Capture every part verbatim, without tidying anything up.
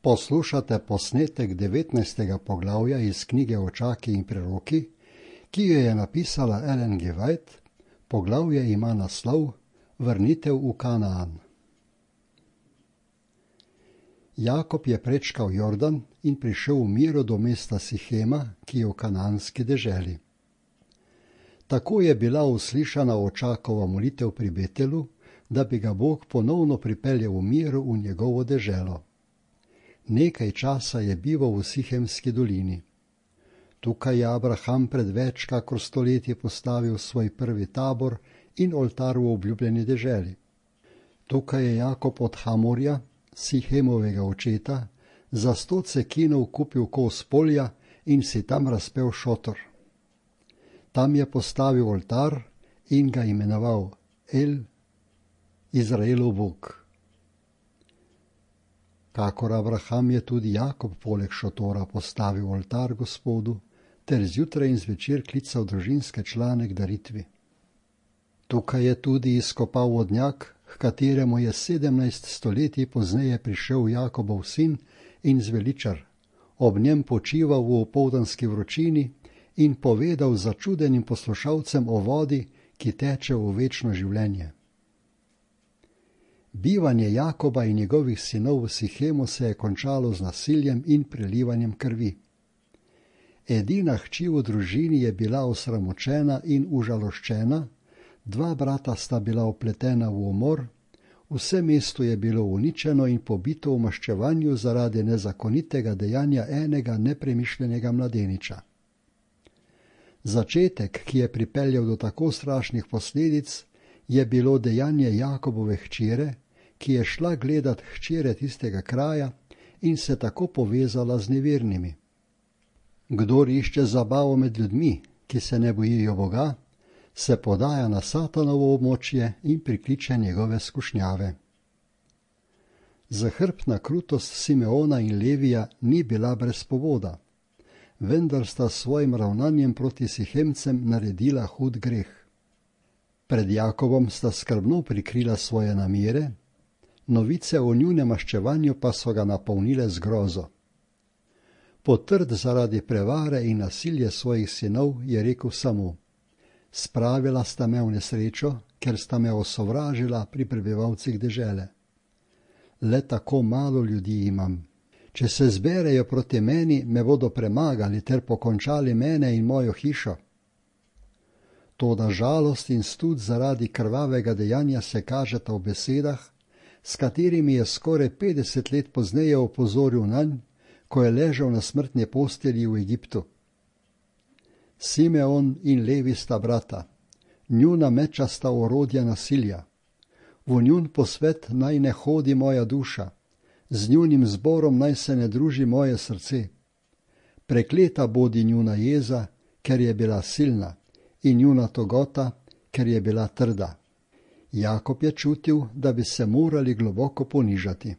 Poslušate posnetek devetnajstega poglavja iz knjige Očaki in preroki, ki jo je napisala Ellen G. White. Poglavje ima naslov Vrnitev v Kanaan. Jakob je prečkal Jordan in prišel v miru do mesta Sihema, ki je v kanaanski deželi. Tako je bila uslišana Očakova molitev pri Betelu, da bi ga Bog ponovno pripeljal v miru v njegovo deželo. Nekaj časa je bival v Sihemski dolini. Tukaj je Abraham pred več kakor stoletji postavil svoj prvi tabor in oltar v obljubljeni deželi. Tukaj je Jakob od Hamorja, Sihemovega očeta, za sto cekinov kupil kos polja in si tam razpel šotor. Tam je postavil oltar in ga imenoval El, Izraelov Bog. Kakor Abraham je tudi Jakob poleg šotora postavil oltar Gospodu, ter zjutraj in zvečer klical družinske člane k daritvi. Tukaj je tudi izkopal vodnjak, h kateremu je sedemnajst stoletij pozneje prišel Jakobov sin in zveličar, ob njem počival v opoldanski vročini in povedal začudenim poslušalcem o vodi, ki teče v večno življenje. Bivanje Jakoba in njegovih sinov v Sihemu se je končalo z nasiljem in prelivanjem krvi. Edina hči v družini je bila osramočena in užaloščena, dva brata sta bila vpletena v umor, vse mesto je bilo uničeno in pobito v maščevanju zaradi nezakonitega dejanja enega nepremišljenega mladeniča. Začetek, ki je pripeljal do tako strašnih posledic, je bilo dejanje Jakobove hčere, ki je šla gledat hčere tistega kraja in se tako povezala z nevernimi. Kdor išče zabavo med ljudmi, ki se ne bojijo Boga, se podaja na Satanovo območje in prikliče njegove skušnjave. Zahrbtna krutost Simeona in Levija ni bila brez povoda, vendar sta s svojim ravnanjem proti Sihemcem naredila hud greh. Pred Jakobom sta skrbno prikrila svoje namere, novice o njunem maščevanju pa so ga napolnile z grozo. Potrd zaradi prevare in nasilje svojih sinov je rekel samo: Spravila sta me v nesrečo, ker sta me osovražila pri prebivalcih dežele. Le tako malo ljudi imam. Če se zberejo proti meni, me bodo premagali ter pokončali mene in mojo hišo. Toda žalost in stud zaradi krvavega dejanja se kažeta v besedah, s katerimi je skoraj petdeset let pozneje opozoril nanj, ko je ležal na smrtni postelji v Egiptu. Simeon in Levi sta brata, njuna meča sta orodja nasilja. V njun posvet naj ne hodi moja duša, z njunim zborom naj se ne druži moje srce. Prekleta bodi njuna jeza, ker je bila silna, in njuna togota, ker je bila trda. Jakob je čutil, da bi se morali globoko ponižati.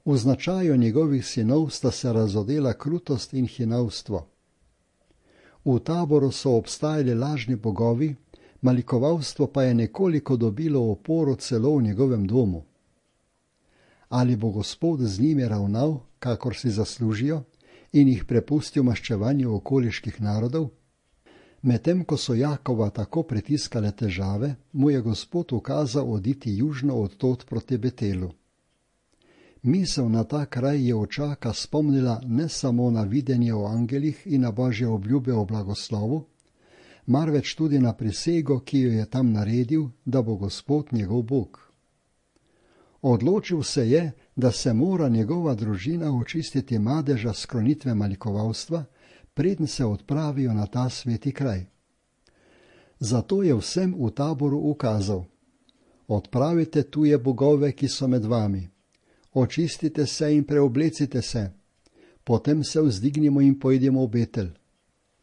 V značaju njegovih sinov sta se razodela krutost in hinavstvo. V taboru so obstajali lažni bogovi, malikovalstvo pa je nekoliko dobilo oporo celo v njegovem domu. Ali bo Gospod z njimi ravnal, kakor si zaslužijo, in jih prepustil maščevanju okoliških narodov? Medtem ko so Jakoba tako pritiskale težave, mu je Gospod ukazal oditi južno od tod proti Betelu. Misel na ta kraj je Očaka spomnila ne samo na videnje o angelih in na Božje obljube o blagoslovu, marveč tudi na prisego, ki jo je tam naredil, da bo Gospod njegov Bog. Odločil se je, da se mora njegova družina očistiti madeža sklonitve malikovalstva, preden se odpravijo na ta sveti kraj. Zato je vsem v taboru ukazal: Odpravite tuje bogove, ki so med vami, očistite se in preoblecite se, potem se vzdignimo in pojdemo v Betel.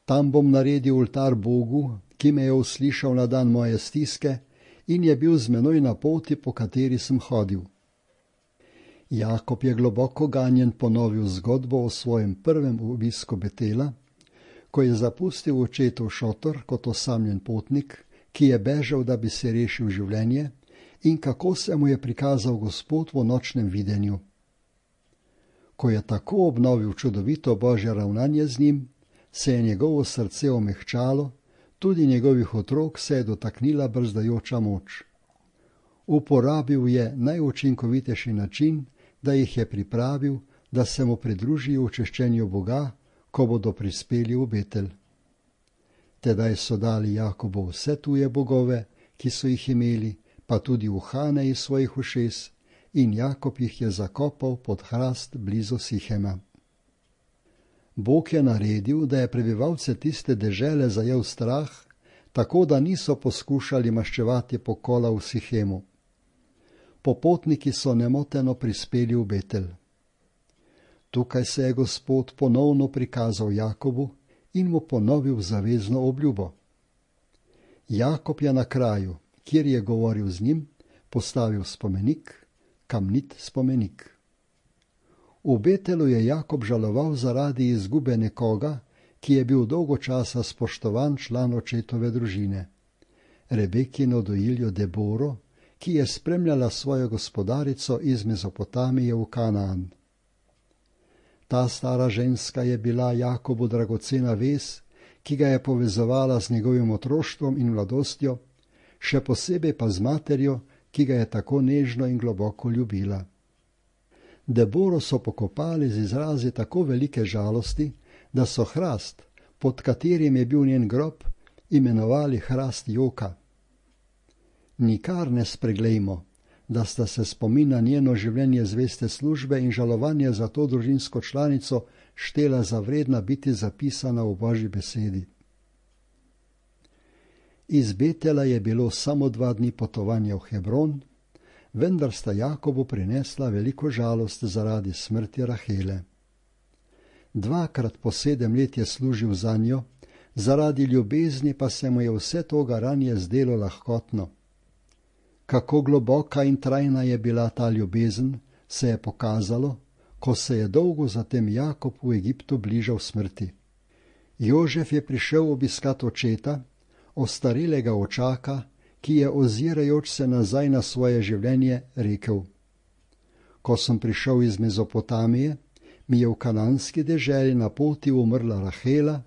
Tam bom naredil oltar Bogu, ki me je uslišal na dan moje stiske in je bil z menoj na poti, po kateri sem hodil. Jakob je globoko ganjen ponovil zgodbo o svojem prvem obisku Betela, ko je zapustil očetov šotor kot osamljen potnik, ki je bežal, da bi se rešil življenje, in kako se mu je prikazal Gospod v nočnem videnju. Ko je tako obnovil čudovito Božje ravnanje z njim, se je njegovo srce omehčalo, tudi njegovih otrok se je dotaknila brzdajoča moč. Uporabil je najučinkovitejši način, da jih je pripravil, da se mu pridružijo v češčenju Boga, ko bodo prispeli v Betel. Tedaj so dali Jakobu vse tuje bogove, ki so jih imeli, pa tudi uhane iz svojih ušes, in Jakob jih je zakopal pod hrast blizu Sihema. Bog je naredil, da je prebivalce tiste dežele zajel strah, tako da niso poskušali maščevati pokola v Sihemu. Popotniki so nemoteno prispeli v Betel. Tukaj se je Gospod ponovno prikazal Jakobu in mu ponovil zavezno obljubo. Jakob je na kraju, kjer je govoril z njim, postavil spomenik, kamnit spomenik. V Betelu je Jakob žaloval zaradi izgube nekoga, ki je bil dolgo časa spoštovan član očetove družine, Rebekino dojiljo Deboro, ki je spremljala svojo gospodarico iz Mezopotamije v Kanaan. Ta stara ženska je bila Jakobu dragocena vez, ki ga je povezovala z njegovim otroštvom in mladostjo, še posebej pa z materjo, ki ga je tako nežno in globoko ljubila. Deboro so pokopali z izrazi tako velike žalosti, da so hrast, pod katerim je bil njen grob, imenovali hrast joka. Nikar ne spreglejmo, da sta se spomin na njeno življenje zveste službe in žalovanje za to družinsko članico štela za vredna biti zapisana v Božji besedi. Iz Betela je bilo samo dva dni potovanja v Hebron, vendar sta Jakobu prinesla veliko žalost zaradi smrti Rahele. Dvakrat po sedem let je služil za njo, zaradi ljubezni pa se mu je vse to garanje zdelo lahkotno. Kako globoka in trajna je bila ta ljubezen, se je pokazalo, ko se je dolgo zatem Jakob v Egiptu bližal smrti. Jožef je prišel obiskat očeta, ostarelega očaka, ki je ozirajoč se nazaj na svoje življenje rekel: Ko sem prišel iz Mezopotamije, mi je v kananski deželi na poti umrla Rahela,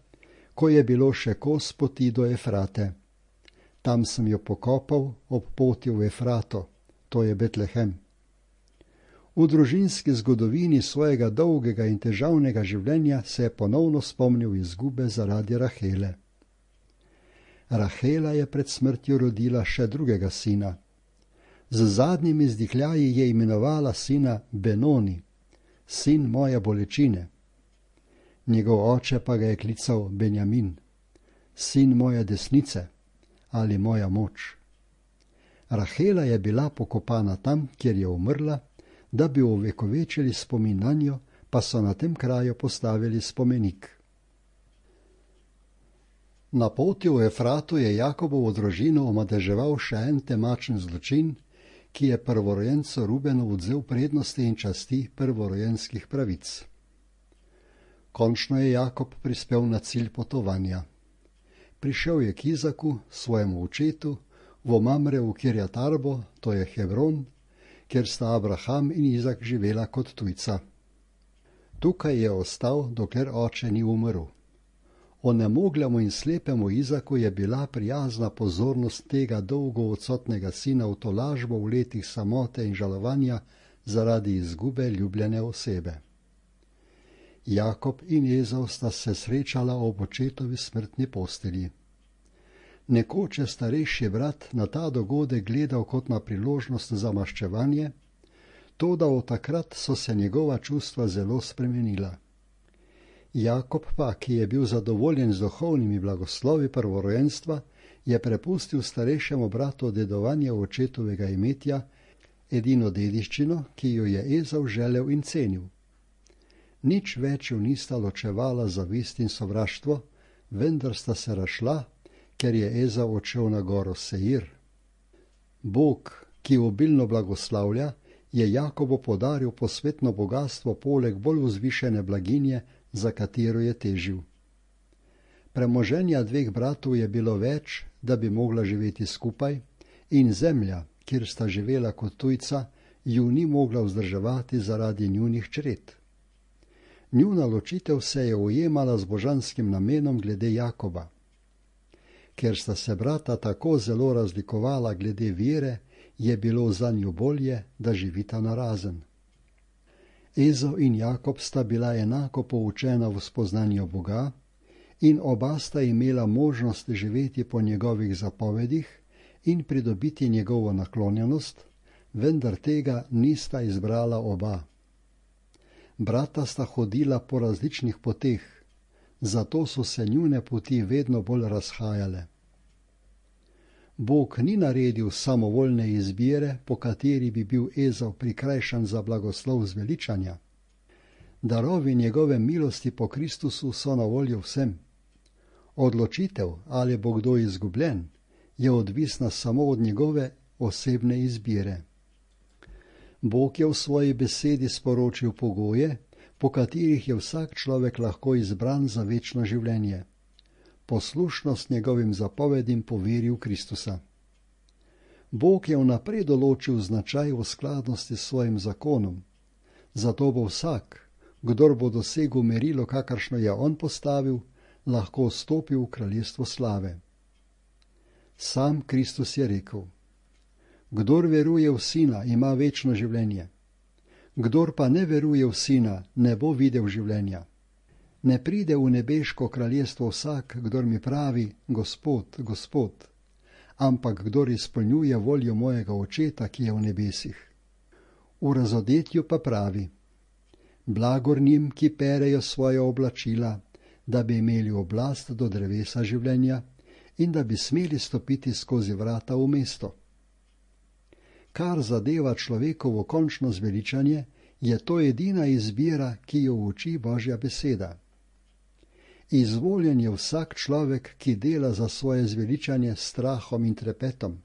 ko je bilo še kos poti do Efrate. Tam sem jo pokopal ob poti v Efrato, to je Betlehem. V družinski zgodovini svojega dolgega in težavnega življenja se je ponovno spomnil izgube zaradi Rahele. Rahela je pred smrtjo rodila še drugega sina. Z zadnjimi izdihljaji je imenovala sina Benoni, sin moje bolečine. Njegov oče pa ga je klical Benjamin, sin moje desnice ali moja moč. Rahela je bila pokopana tam, kjer je umrla, da bi ovekovečili spomin na njo, pa so na tem kraju postavili spomenik. Na poti v Efratu je Jakobovo družino omadeževal še en temačen zločin, ki je prvorojencu Rubenu odvzel prednosti in časti prvorojenskih pravic. Končno je Jakob prispel na cilj potovanja. Prišel je k Izaku, svojemu očetu, v Mamre v Kirjat Arbo, to je Hebron, kjer sta Abraham in Izak živela kot tujca. Tukaj je ostal, dokler oče ni umrl. Onemogljemu in slepemu Izaku je bila prijazna pozornost tega dolgo odsotnega sina v tolažbo v letih samote in žalovanja zaradi izgube ljubljene osebe. Jakob in Ezau sta se srečala ob očetovi smrtni postelji. Nekoč je starejši brat na ta dogodek gledal kot na priložnost za maščevanje, toda od takrat so se njegova čustva zelo spremenila. Jakob pa, ki je bil zadovoljen z duhovnimi blagoslovi prvorojenstva, je prepustil starejšemu bratu dedovanje očetovega imetja, edino dediščino, ki jo je Ezau želel in cenil. Nič več jo nista ločevala zavist in sovraštvo, vendar sta se razšla, ker je Ezau odšel na goro Seir. Bog, ki obilno blagoslavlja, je Jakobu podaril posvetno bogatstvo poleg bolj vzvišene blaginje, za katero je težil. Premoženja dveh bratov je bilo več, da bi mogla živeti skupaj, in zemlja, kjer sta živela kot tujca, ju ni mogla vzdrževati zaradi njunih čred. Njuna ločitev se je ujemala z božanskim namenom glede Jakoba. Ker sta se brata tako zelo razlikovala glede vere, je bilo zanju bolje, da živita narazen. Ezau in Jakob sta bila enako poučena v spoznanju Boga in oba sta imela možnost živeti po njegovih zapovedih in pridobiti njegovo naklonjenost, vendar tega nista izbrala oba. Brata sta hodila po različnih poteh, zato so se njune poti vedno bolj razhajale. Bog ni naredil samovoljne izbire, po kateri bi bil Ezau prikrajšan za blagoslov zveličanja. Darovi njegove milosti po Kristusu so na voljo vsem. Odločitev, ali bo kdo izgubljen, je odvisna samo od njegove osebne izbire. Bog je v svoji besedi sporočil pogoje, po katerih je vsak človek lahko izbran za večno življenje. Poslušnost njegovim zapovedim po veri v Kristusa. Bog je vnaprej določil značaj v skladnosti s svojim zakonom, zato bo vsak, kdor bo dosegel merilo, kakršno je on postavil, lahko vstopil v kraljestvo slave. Sam Kristus je rekel: Kdor veruje v Sina, ima večno življenje. Kdor pa ne veruje v Sina, ne bo videl življenja. Ne pride v nebeško kraljestvo vsak, kdor mi pravi: Gospod, Gospod, ampak kdor izpolnjuje voljo mojega Očeta, ki je v nebesih. V razodetju pa pravi: Blagor njim, ki perejo svoja oblačila, da bi imeli oblast do drevesa življenja in da bi smeli stopiti skozi vrata v mesto. Kar zadeva človekovo končno zveličanje, je to edina izbira, ki jo uči Božja beseda. Izvoljen je vsak človek, ki dela za svoje zveličanje s strahom in trepetom.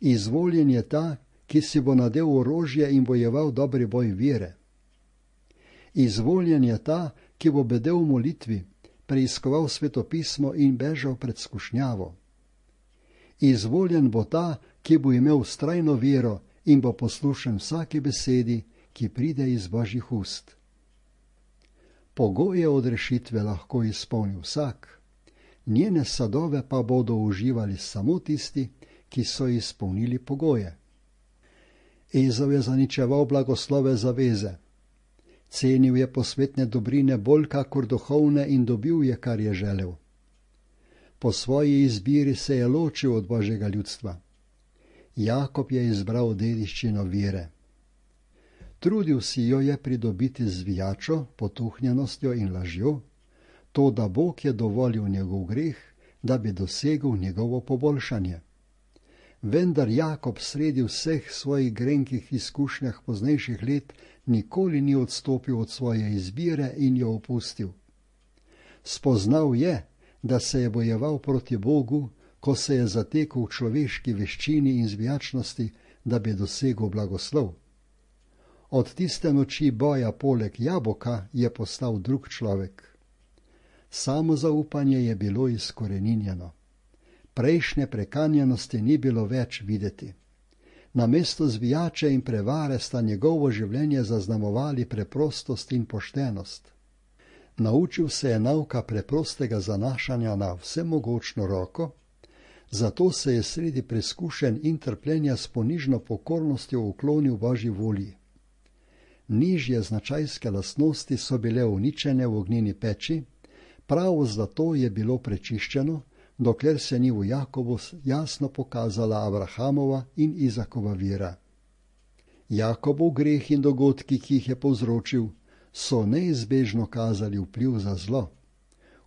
Izvoljen je ta, ki si bo nadel orožje in bojeval dobri boj vere. Izvoljen je ta, ki bo bedel v molitvi, preiskoval svetopismo in bežal pred skušnjavo. Izvoljen bo ta, ki bo imel vztrajno vero in bo poslušen vsaki besedi, ki pride iz Božjih ust. Pogoje odrešitve lahko izpolni vsak, njene sadove pa bodo uživali samo tisti, ki so izpolnili pogoje. Ezau je zaničeval blagoslove zaveze. Cenil je posvetne dobrine bolj kakor duhovne in dobil je, kar je želel. Po svoji izbiri se je ločil od Božjega ljudstva. Jakob je izbral dediščino vere. Trudil si jo je pridobiti z zvijačo, potuhnjenostjo in lažjo, to da Bog je dovolil njegov greh, da bi dosegel njegovo poboljšanje. Vendar Jakob sredi vseh svojih grenkih izkušnjah poznejših let nikoli ni odstopil od svoje izbire in jo opustil. Spoznal je, da se je bojeval proti Bogu, ko se je zatekel v človeški veščini in zvijačnosti, da bi dosegel blagoslov. Od tiste noči boja poleg jabolka je postal drug človek. Samozaupanje je bilo izkoreninjeno. Prejšnje prekanjenosti ni bilo več videti. Namesto zvijače in prevare sta njegovo življenje zaznamovali preprostost in poštenost. Naučil se je nauka preprostega zanašanja na vsemogočno roko, zato se je sredi preskušenj in trpljenja s ponižno pokornostjo uklonil Božji volji. Nižje značajske lastnosti so bile uničene v ognjeni peči, prav zato je bilo prečiščeno, dokler se ni v Jakobu jasno pokazala Abrahamova in Izakova vera. Jakobov greh in dogodki, ki jih je povzročil, so neizbežno kazali vpliv za zlo.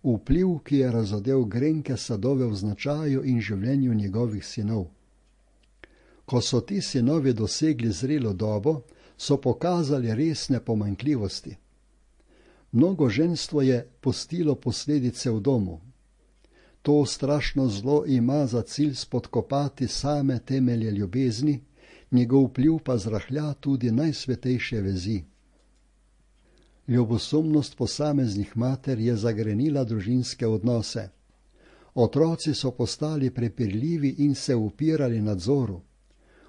Vpliv, ki je razodel grenke sadove v značaju in življenju njegovih sinov. Ko so ti sinovi dosegli zrelo dobo, so pokazali resne pomanjkljivosti. Mnogo ženstvo je pustilo posledice v domu. To strašno zlo ima za cilj spodkopati same temelje ljubezni, njegov vpliv pa zrahlja tudi najsvetejše vezi. Ljubosumnost posameznih mater je zagrenila družinske odnose. Otroci so postali prepirljivi in se upirali nadzoru.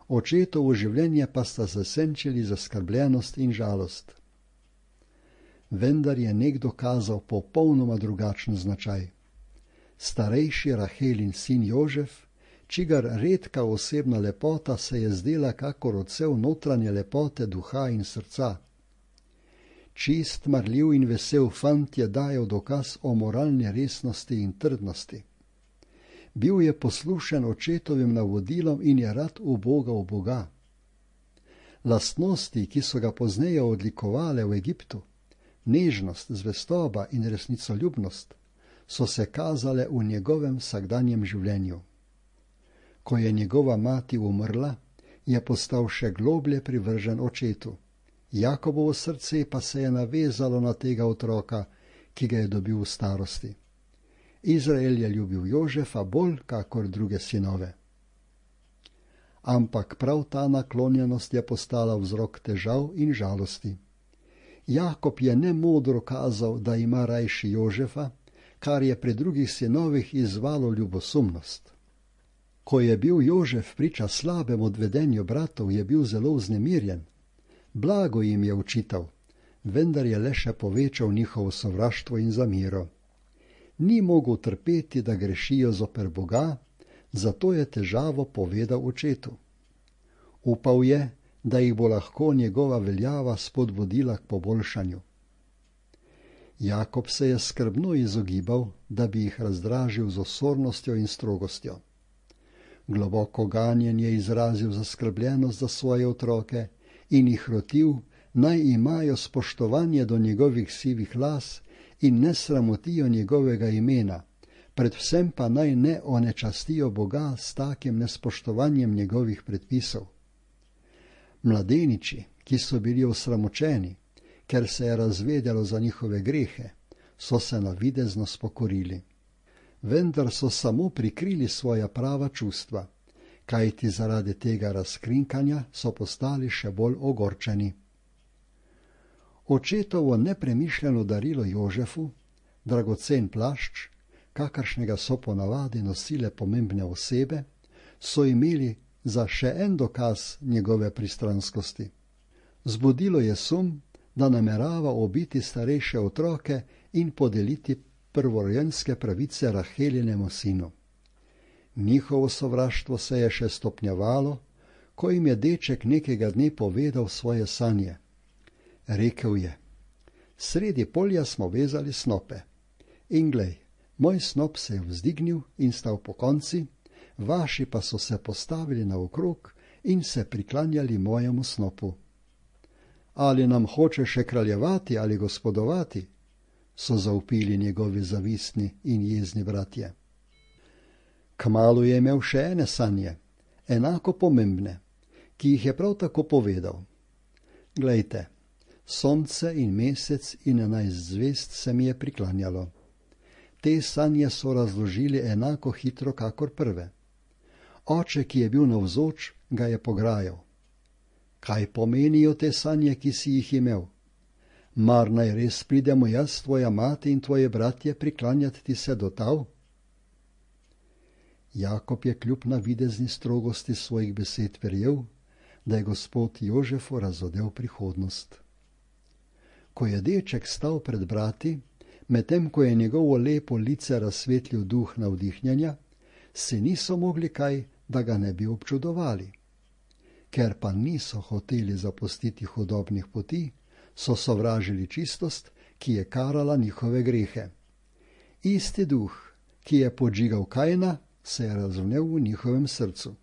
Očetovo življenje pa sta zasenčili zaskrbljenost in žalost. vendar je nekdo kazal popolnoma drugačen značaj. Starejši Rahelin sin Jožef, čigar redka osebna lepota se je zdela kakor odsev notranje lepote duha in srca. Čist, marljiv in vesel fant je dajal dokaz o moralni resnosti in trdnosti. Bil je poslušen očetovim navodilom in je rad ubogal Boga. Lastnosti, ki so ga pozneje odlikovale v Egiptu, nežnost, zvestoba in resnicoljubnost, so se kazale v njegovem vsakdanjem življenju. Ko je njegova mati umrla, je postal še globlje privržen očetu. Jakobovo srce pa se je navezalo na tega otroka, ki ga je dobil v starosti. Izrael je ljubil Jožefa bolj kakor druge sinove. Ampak prav ta naklonjenost je postala vzrok težav in žalosti. Jakob je nemodro kazal, da ima rajši Jožefa, kar je pri drugih sinovih izzvalo ljubosumnost. Ko je bil Jožef priča slabem odvedenju bratov, je bil zelo vznemirjen. Blago jim je učital, vendar je le še povečal njihovo sovraštvo in zamero. Ni mogel trpeti, da grešijo zoper Boga, zato je težavo povedal očetu. Upal je, da jih bo lahko njegova veljava spodbudila k poboljšanju. Jakob se je skrbno izogibal, da bi jih razdražil z osornostjo in strogostjo. Globoko ganjen je izrazil zaskrbljenost za svoje otroke in jih rotil, naj imajo spoštovanje do njegovih sivih las in ne sramotijo njegovega imena, predvsem pa naj ne onečastijo Boga s takim nespoštovanjem njegovih predpisov. Mladeniči, ki so bili osramočeni, ker se je razvedelo za njihove grehe, so se navidezno spokorili. Vendar so samo prikrili svoja prava čustva, kajti zaradi tega razkrinkanja so postali še bolj ogorčeni. Očetovo nepremišljeno darilo Jožefu, dragocen plašč, kakršnega so ponavadi nosile pomembne osebe, so imeli za še en dokaz njegove pristranskosti. Zbudilo je sum, da namerava ubiti starejše otroke in podeliti prvorojenske pravice Rahelinemu sinu. Njihovo sovraštvo se je še stopnjevalo, ko jim je deček nekega dne povedal svoje sanje. Rekel je: sredi polja smo vezali snope. In glej, moj snop se je vzdignil in stal pokonci, vaši pa so se postavili naokrog in se priklanjali mojemu snopu. Ali nam hoče še kraljevati ali gospodovati? So zavpili njegovi zavistni in jezni bratje. Kmalu je imel še ene sanje, enako pomembne, ki jih je prav tako povedal. Glejte, sonce in mesec in enajst zvezd se mi je priklanjalo. Te sanje so razložili enako hitro kakor prve. Oče, ki je bil navzoč, ga je pograjal. Kaj pomenijo te sanje, ki si jih imel? Mar naj res pridemo jaz, tvoja mati in tvoje bratje priklanjati ti se do tal? Jakob je kljub navidezni strogosti svojih besed verjel, da je gospod Jožefu razodel prihodnost. Ko je deček stal pred brati, medtem ko je njegovo lepo lice razsvetlil duh navdihnjenja, se niso mogli kaj, da ga ne bi občudovali. Ker pa niso hoteli zapustiti hudobnih poti, so sovražili čistost, ki je karala njihove grehe. Isti duh, ki je podžigal Kaina, se je razvnel v njihovem srcu.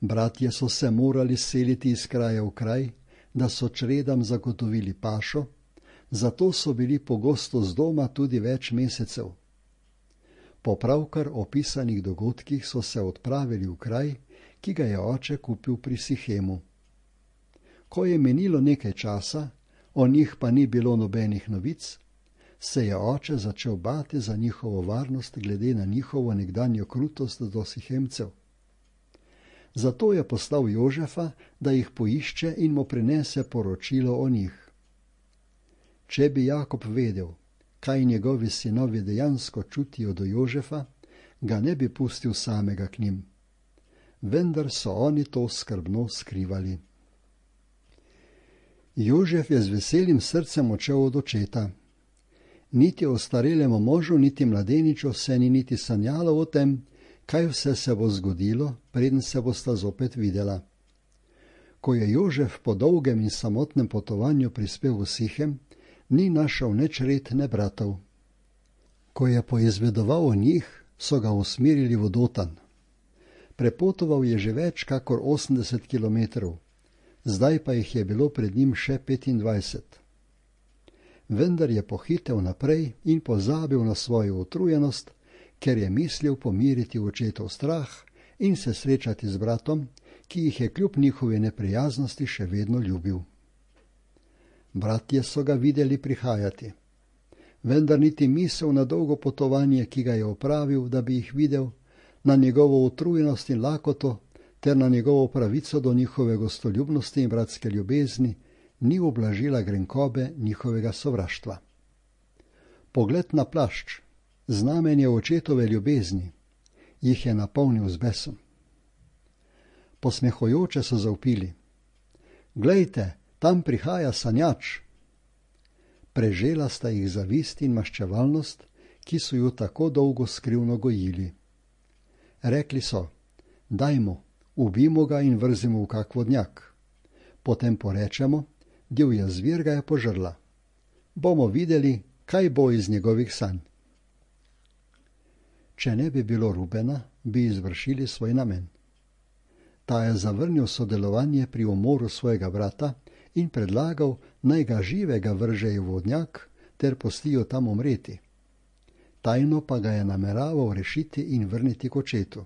Bratje so se morali seliti iz kraja v kraj, da so čredam zagotovili pašo, zato so bili pogosto z doma tudi več mesecev. Po pravkar opisanih dogodkih so se odpravili v kraj, ki ga je oče kupil pri Sihemu. Ko je menilo nekaj časa, o njih pa ni bilo nobenih novic, se je oče začel bati za njihovo varnost glede na njihovo nekdanjo krutost do Sihemcev. Zato je poslal Jožefa, da jih poišče in mu prinese poročilo o njih. Če bi Jakob vedel, kaj njegovi sinovi dejansko čutijo do Jožefa, ga ne bi pustil samega k njim. Vendar so oni to skrbno skrivali. Jožef je z veselim srcem odšel od očeta. Niti ostarelemu možu, niti mladeniču se ni niti sanjalo o tem, kaj vse se bo zgodilo, preden se bosta zopet videla. Ko je Jožef po dolgem in samotnem potovanju prispel v Sihem, ni našel neč red ne bratov. Ko je poizvedoval o njih, so ga usmerili v Dotan. Prepotoval je že več kakor osemdeset kilometrov, zdaj pa jih je bilo pred njim še petindvajset. Vendar je pohitev naprej in pozabil na svojo utrujenost, ker je mislil pomiriti očetov strah in se srečati z bratom, ki jih je kljub njihovi neprijaznosti še vedno ljubil. Bratje so ga videli prihajati, vendar niti misel na dolgo potovanje, ki ga je opravil, da bi jih videl, na njegovo utrujenost in lakoto ter na njegovo pravico do njihove gostoljubnosti in bratske ljubezni, ni ublažila grenkobe njihovega sovraštva. Pogled na plašč, znamenje očetove ljubezni, jih je napolnil z besom. Posmehujoče so zavpili: "Glejte, tam prihaja sanjač!" Prežela sta jih zavist in maščevalnost, ki so ju tako dolgo skrivno gojili. Rekli so: "Dajmo, ubimo ga in vrzimo v kak vodnjak. Potem porečemo, divja zvir ga je požrla. Bomo videli, kaj bo iz njegovih sanj." Če ne bi bilo Rubena, bi izvršili svoj namen. Ta je zavrnil sodelovanje pri umoru svojega brata in predlagal, naj ga živega vržejo v vodnjak ter pustijo tam umreti. Tajno pa ga je nameraval rešiti in vrniti k očetu.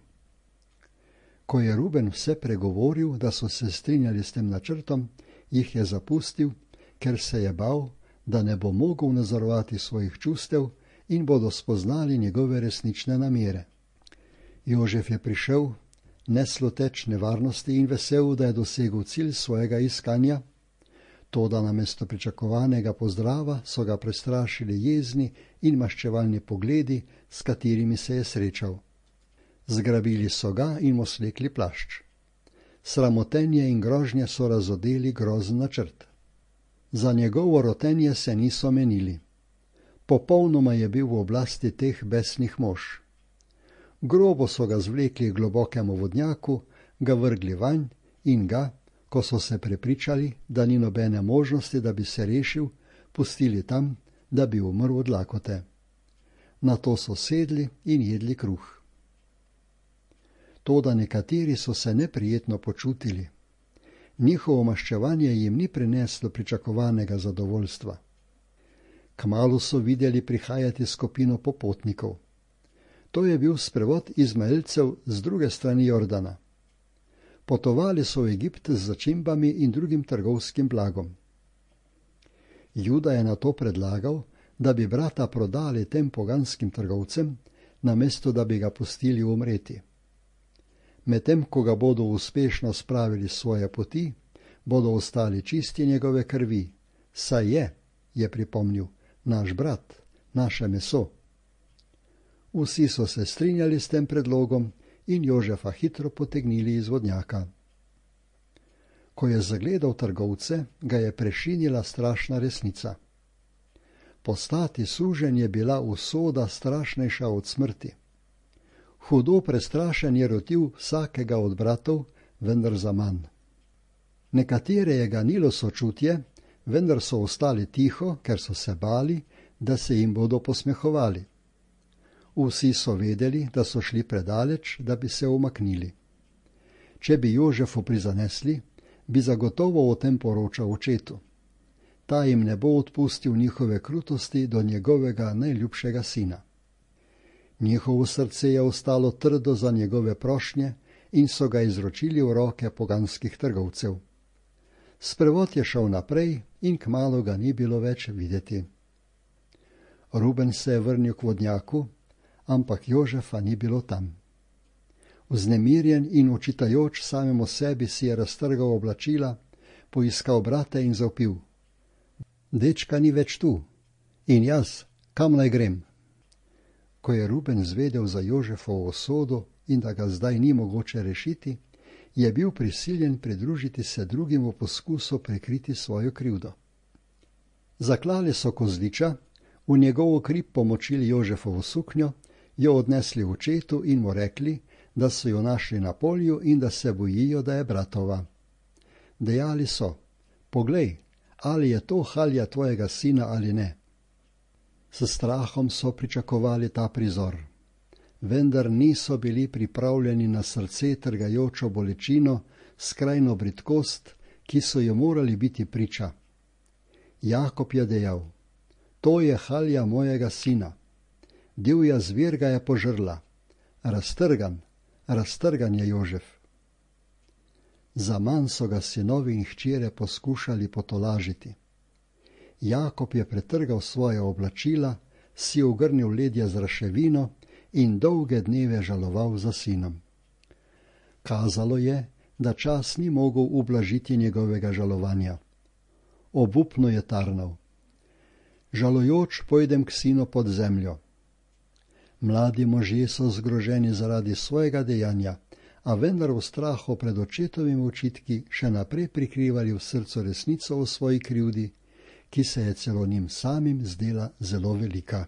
Ko je Ruben vse pregovoril, da so se strinjali s tem načrtom, jih je zapustil, ker se je bal, da ne bo mogel nadzorovati svojih čustev in bodo spoznali njegove resnične namere. Jožef je prišel, nesluteč nevarnosti in vesel, da je dosegel cilj svojega iskanja, toda namesto pričakovanega pozdrava so ga prestrašili jezni in maščevalni pogledi, s katerimi se je srečal. Zgrabili so ga in mu slekli plašč. Sramotenje in grožnje so razodeli grozen načrt. Za njegovo rotenje se niso menili. Popolnoma je bil v oblasti teh besnih mož. Grobo so ga zvlekli k globokemu vodnjaku, ga vrgli vanj in ga, ko so se prepričali, da ni nobene možnosti, da bi se rešil, pustili tam, da bi umrl od lakote. Nato so sedli in jedli kruh. Toda nekateri so se neprijetno počutili. Njihovo maščevanje jim ni prineslo pričakovanega zadovoljstva. Kmalu so videli prihajati skupino popotnikov. To je bil sprevod Izmaelcev z druge strani Jordana. Potovali so v Egipt z začimbami in drugim trgovskim blagom. Juda je nato predlagal, da bi brata prodali tem poganskim trgovcem, namesto da bi ga pustili umreti. Medtem ko ga bodo uspešno spravili svoje poti, bodo ostali čisti njegove krvi, saj je, je pripomnil, naš brat, naše meso. Vsi so se strinjali s tem predlogom in Jožefa hitro potegnili iz vodnjaka. Ko je zagledal trgovce, ga je prešinila strašna resnica. Postati suženj je bila usoda strašnejša od smrti. Hudo prestrašen je rotil vsakega od bratov, vendar zaman. Nekatere je ganilo sočutje, vendar so ostali tiho, ker so se bali, da se jim bodo posmehovali. Vsi so vedeli, da so šli predaleč, da bi se umaknili. Če bi Jožefu prizanesli, bi zagotovo o tem poročal očetu. Ta jim ne bo odpustil njihove krutosti do njegovega najljubšega sina. Njihovo srce je ostalo trdo za njegove prošnje in so ga izročili v roke poganskih trgovcev. Sprevod je šel naprej in kmalu ga ni bilo več videti. Ruben se je vrnil k vodnjaku, ampak Jožefa ni bilo tam. Vznemirjen in očitajoč samemu sebi si je raztrgal oblačila, poiskal brate in zavpil: "Dečka ni več tu. In jaz, kam naj grem?" Ko je Ruben zvedel za Jožefovo usodo in da ga zdaj ni mogoče rešiti, je bil prisiljen pridružiti se drugim v poskusu prekriti svojo krivdo. Zaklali so kozliča, v njegovo krip pomočili Jožefovo suknjo, jo odnesli v očetu in mu rekli, da so jo našli na polju in da se bojijo, da je bratova. Dejali so: poglej, ali je to halja tvojega sina ali ne. S strahom so pričakovali ta prizor, vendar niso bili pripravljeni na srce trgajočo bolečino, skrajno bridkost, ki so jo morali biti priča. Jakob je dejal: to je halja mojega sina. Divja zver ga je požrla. Raztrgan, raztrgan je Jožef. Zaman so ga sinovi in hčere poskušali potolažiti. Jakob je pretrgal svoje oblačila, si ogrnil ledja z raševino in dolge dneve žaloval za sinom. Kazalo je, da čas ni mogel ublažiti njegovega žalovanja. Obupno je tarnal: žalojoč pojdem k sinu pod zemljo. Mladi možje so zgroženi zaradi svojega dejanja, a vendar v strahu pred očetovimi očitki še naprej prikrivali v srcu resnico o svoji krivdi, ki se je celo njim samim zdela zelo velika.